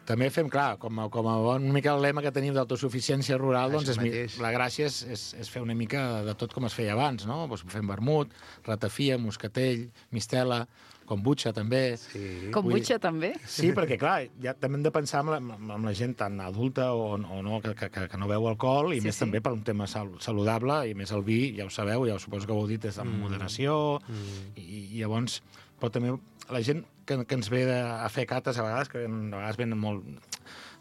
També fem, clar, com a, com a bon, una mica el lema que tenim d'autosuficiència rural, doncs és, la gràcia és, és, és fer una mica de tot com es feia abans, no? Doncs fem vermut, ratafia, moscatell, mistela, kombucha també. Sí. Kombucha també? Sí, perquè clar, ja també hem de pensar amb la, amb la gent tan adulta o, o no, que, que, que no beu alcohol, i sí, més sí. també per un tema saludable, i més el vi, ja ho sabeu, ja ho suposo que ho heu dit, és amb mm. moderació, mm. I, i llavors, però també la gent que, que ens ve a fer cates a vegades, que a vegades venen molt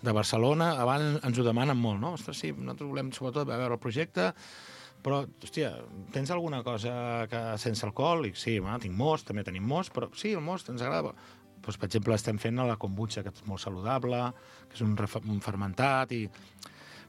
de Barcelona, abans ens ho demanen molt, no? Ostres, sí, nosaltres volem sobretot veure el projecte, però, hòstia, tens alguna cosa que sense alcohol? I sí, bueno, tinc most, també tenim most, però sí, el most ens agrada. Doncs, per exemple, estem fent la kombucha, que és molt saludable, que és un, un fermentat, i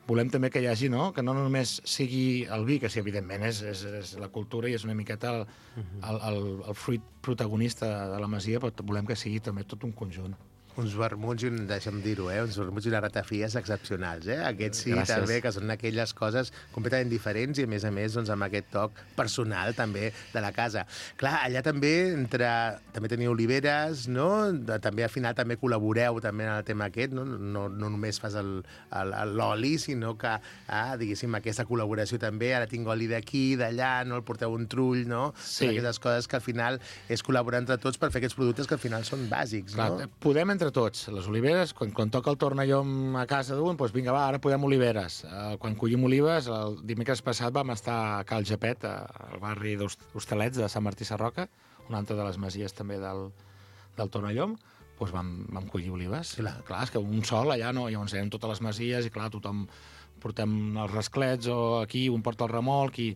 volem també que hi hagi, no?, que no només sigui el vi, que sí, evidentment, és, és, és la cultura i és una miqueta el, el, el, el fruit protagonista de la masia, però volem que sigui també tot un conjunt. uns vermuts, i un, deixa'm dir-ho, eh? uns vermuts i unes ratafies excepcionals. Eh? Aquests sí, Gràcies. També, que són aquelles coses completament diferents i, a més a més, doncs, amb aquest toc personal també de la casa. Clar, allà també entre, també teniu oliveres, no? També al final també col·laboreu també en el tema aquest, no, no, no només fas l'oli, sinó que, ah, diguéssim, aquesta col·laboració també, ara tinc oli d'aquí, d'allà, no? El porteu un trull, no? Sí. Aquestes coses que al final és col·laborar entre tots per fer aquests productes que al final són bàsics, Clar, no? Podem entre tots. Les oliveres, quan, quan toca el tornallom a casa d'un, doncs vinga, va, ara podem oliveres. Uh, quan collim olives, el dimecres passat vam estar a Cal Japet, al barri d'Hostalets de Sant Martí Sarroca, una altra de les masies també del, del tornallom, doncs vam, vam collir olives. Clar. clar, és que un sol allà no, llavors anem totes les masies i clar, tothom portem els rasclets o aquí, un porta el remolc i...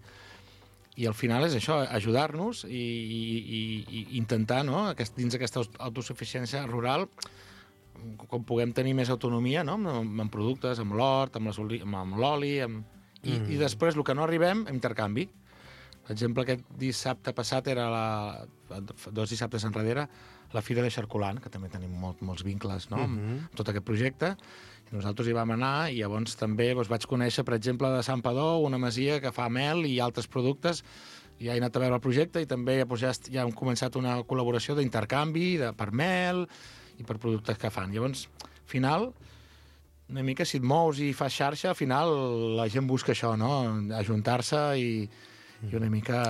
I al final és això, ajudar-nos i, i, i intentar, no?, aquest, dins d'aquesta autosuficiència rural, com puguem tenir més autonomia, no?, amb, amb productes, amb l'hort, amb l'oli, amb... I, mm. i després, el que no arribem, intercanvi. Per exemple, aquest dissabte passat era la... dos dissabtes enrere, la Fira de Xarcolant, que també tenim molt, molts vincles, no?, mm-hmm. amb tot aquest projecte. I nosaltres hi vam anar i llavors també doncs, vaig conèixer, per exemple, de Sant Padó, una masia que fa mel i altres productes. Ja he anat a veure el projecte i també doncs, ja, ja hem començat una col·laboració d'intercanvi de, per mel i per productes que fan. Llavors, al final, una mica si et mous i fas xarxa, al final la gent busca això, no?, ajuntar-se i, i una mica...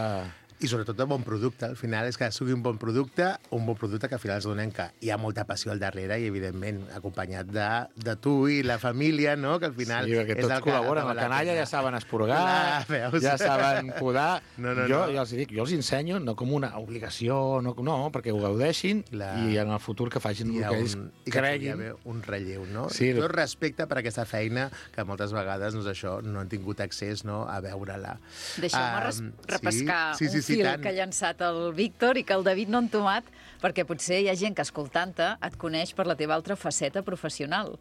I sobretot de bon producte. Al final és que sigui un bon producte, un bon producte que al final es donen que hi ha molta passió al darrere i, evidentment, acompanyat de, de tu i la família, no?, que al final... Sí, perquè tots és col·laboren. La canalla ja saben esporgar, Clar, ja saben podar. No, no, jo, no. jo els dic, jo els ensenyo, no com una obligació, no, no perquè ho gaudeixin Clar. I en el futur que facin el que ells un, creguin. I que hi ha un relleu, no? Sí, tot respecte per aquesta feina que moltes vegades doncs, això no han tingut accés, no?, a veure-la. Deixeu-me um, repescar sí, sí, sí, un sí, fil tant. que ha llançat el Víctor i que el David no ha entomat, perquè potser hi ha gent que, escoltant-te, et coneix per la teva altra faceta professional.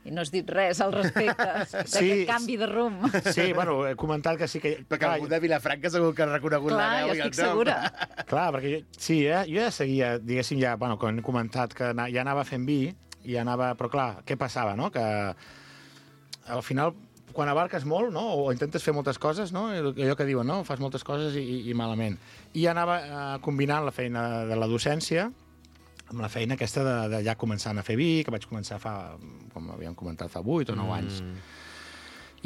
I no has dit res al respecte d'aquest sí, canvi de rumb. Sí, bueno, he comentat que sí que... Perquè clar, algú de Vilafranca segur que ha reconegut clar, la veu i el nom. Clar, jo estic segura. Clar, perquè jo, sí, eh, jo ja seguia, diguéssim, ja, bueno, quan he comentat que ja anava fent vi, i anava... Però clar, què passava, no?, que al final... Quan abarques molt, no?, o intentes fer moltes coses, no?, allò que diuen, no?, fas moltes coses i, i malament. I anava eh, combinant la feina de la docència amb la feina aquesta de, de ja començant a fer vi, que vaig començar fa, com havíem comentat, fa vuit o nou anys. Mm.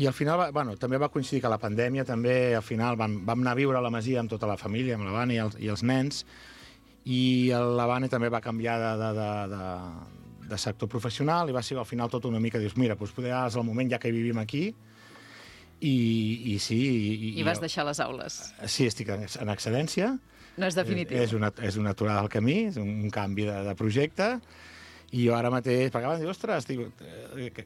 I al final, bueno, també va coincidir que la pandèmia també, al final, vam, vam anar a viure a la masia amb tota la família, amb la Vani i els, i els nens, i la Vani també va canviar de... de, de, de de sector professional, i va ser al final tot una mica, dius, mira, doncs poder és el moment ja que vivim aquí, i, i sí... I, I vas deixar les aules. Sí, estic en, en excedència. No és definitiu. És, és, una, és una aturada al camí, és un, un canvi de, de projecte, i jo ara mateix, perquè abans dic, ostres, dic, eh,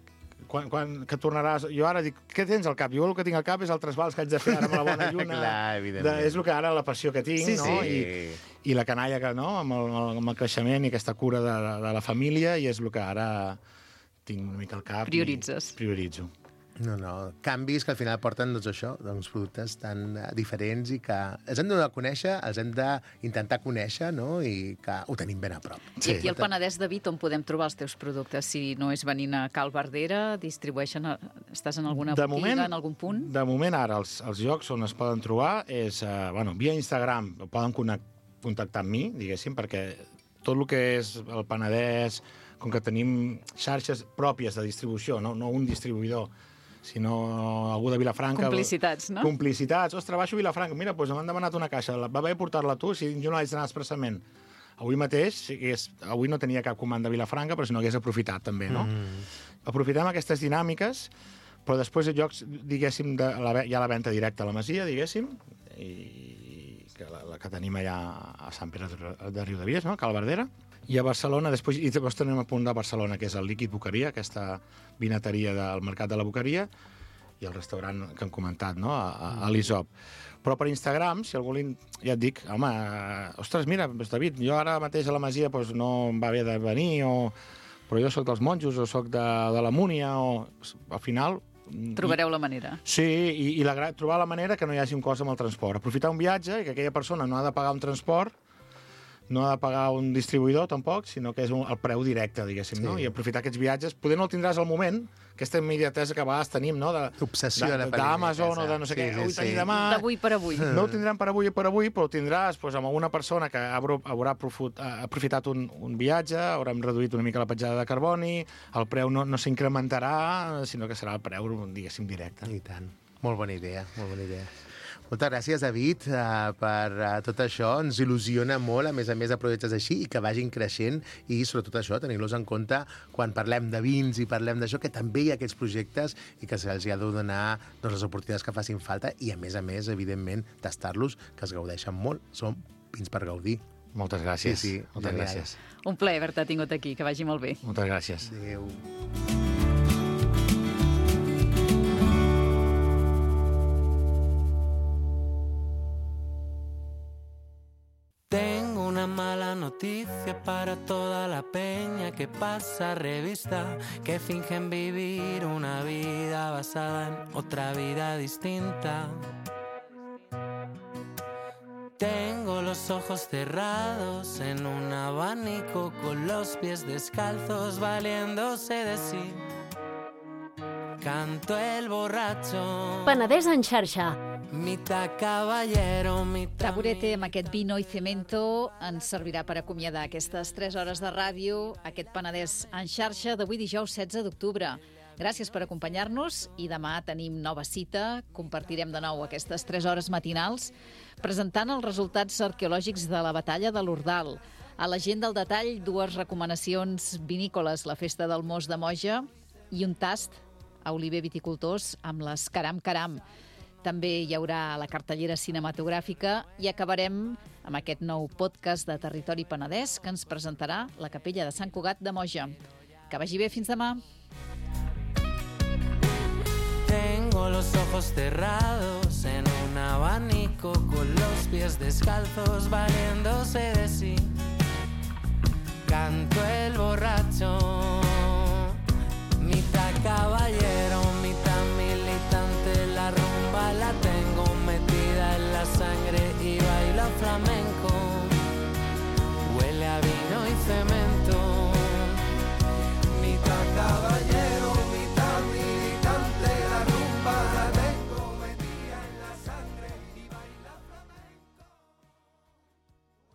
quan, quan que tornaràs... Jo ara dic, què tens al cap? Jo el que tinc al cap és el trasbals que haig de fer ara amb la bona lluna. Clar, de, és el que ara la passió que tinc, sí, no? Sí. I, i la canalla que, no?, amb el, amb el creixement i aquesta cura de, de la família, i és el que ara tinc una mica al cap. Prioritzes. Prioritzo. No, no, canvis que al final porten, doncs, això, doncs, productes tan uh, diferents i que els hem de donar a conèixer, els hem d'intentar conèixer, no?, i que ho tenim ben a prop. Sí. I aquí al Penedès, David, on podem trobar els teus productes? Si no és venint a Cal Verdera, distribueixen, a... estàs en alguna de botiga, moment, en algun punt? De moment, ara, els, els llocs on es poden trobar és, uh, bueno, via Instagram, poden contactar amb mi, diguéssim, perquè tot el que és el Penedès, com que tenim xarxes pròpies de distribució, no, no un distribuïdor, sinó algú de Vilafranca... Complicitats, no? Complicitats. Ostres, baixo a Vilafranca. Mira, doncs m'han demanat una caixa. Va bé portar-la tu, si jo no l'haig d'anar expressament. Avui mateix, si hagués, avui no tenia cap comanda a Vilafranca, però si no hagués aprofitat, també, no? Mm. Aprofitem aquestes dinàmiques, però després de llocs, diguéssim, de la, hi ha la venda directa a la Masia, diguéssim, i que la, la que tenim allà a Sant Pere de Riudebies, no?, a Cal Verdera. I a Barcelona, després, i després tenim a punt de Barcelona, que és el Líquid Boqueria, aquesta vinateria del Mercat de la Boqueria, i el restaurant que hem comentat, no?, a, a l'Isop. Però per Instagram, si algú li... ja et dic, home, ostres, mira, David, jo ara mateix a la Masia doncs, no em va bé de venir, o... però jo sóc dels monjos, o sóc de, de la Múnia, o... Al final... Trobareu la manera. Sí, i, i la, trobar la manera que no hi hagi un cost amb el transport. Aprofitar un viatge i que aquella persona no ha de pagar un transport, no ha de pagar un distribuïdor, tampoc, sinó que és un, el preu directe, diguéssim, sí. no? I aprofitar aquests viatges. Poder no el tindràs al moment, aquesta immediatesa que a vegades tenim, no? Obsessió de la d'Amazon o de no sé sí, què, sí, sí. demà... D'avui per avui. No ho tindrem per avui per avui, però ho tindràs doncs, amb una persona que haurà aprofitat un, un viatge, haurem reduït una mica la petjada de carboni, el preu no, no s'incrementarà, sinó que serà el preu, diguéssim, directe. I tant. Molt bona idea, molt bona idea. Moltes gràcies, David, uh, per uh, tot això. Ens il·lusiona molt, a més a més, de projectes així i que vagin creixent i, sobretot això, tenir-los en compte quan parlem de vins i parlem d'això, que també hi ha aquests projectes i que se'ls ha de donar doncs, les oportunitats que facin falta i, a més a més, evidentment, tastar-los, que es gaudeixen molt. Són vins per gaudir. Moltes gràcies. Sí, sí, Moltes genial. gràcies. Un plaer haver-te tingut aquí, que vagi molt bé. Moltes gràcies. Adéu. Tengo una mala noticia para toda la peña que pasa revista, que fingen vivir una vida basada en otra vida distinta. Tengo los ojos cerrados en un abanico con los pies descalzos valiéndose de sí. Canto el borracho. Penedès en xarxa. Mitad caballero, mitad... Taburete amb aquest vino i cemento ens servirà per acomiadar aquestes tres hores de ràdio, aquest Penedès en xarxa d'avui dijous setze d'octubre. Gràcies per acompanyar-nos i demà tenim nova cita. Compartirem de nou aquestes tres hores matinals presentant els resultats arqueològics de la batalla de l'Ordal. A la gent del detall, dues recomanacions vinícoles, la festa del Mos de Moja i un tast a Oliver Viticultors amb les Caram Caram. També hi haurà la cartellera cinematogràfica i acabarem amb aquest nou podcast de Territori Penedès que ens presentarà la Capella de Sant Cugat de Moja. Que vagi bé, fins demà. Tengo los ojos cerrados en un abanico con los pies descalzos valiéndose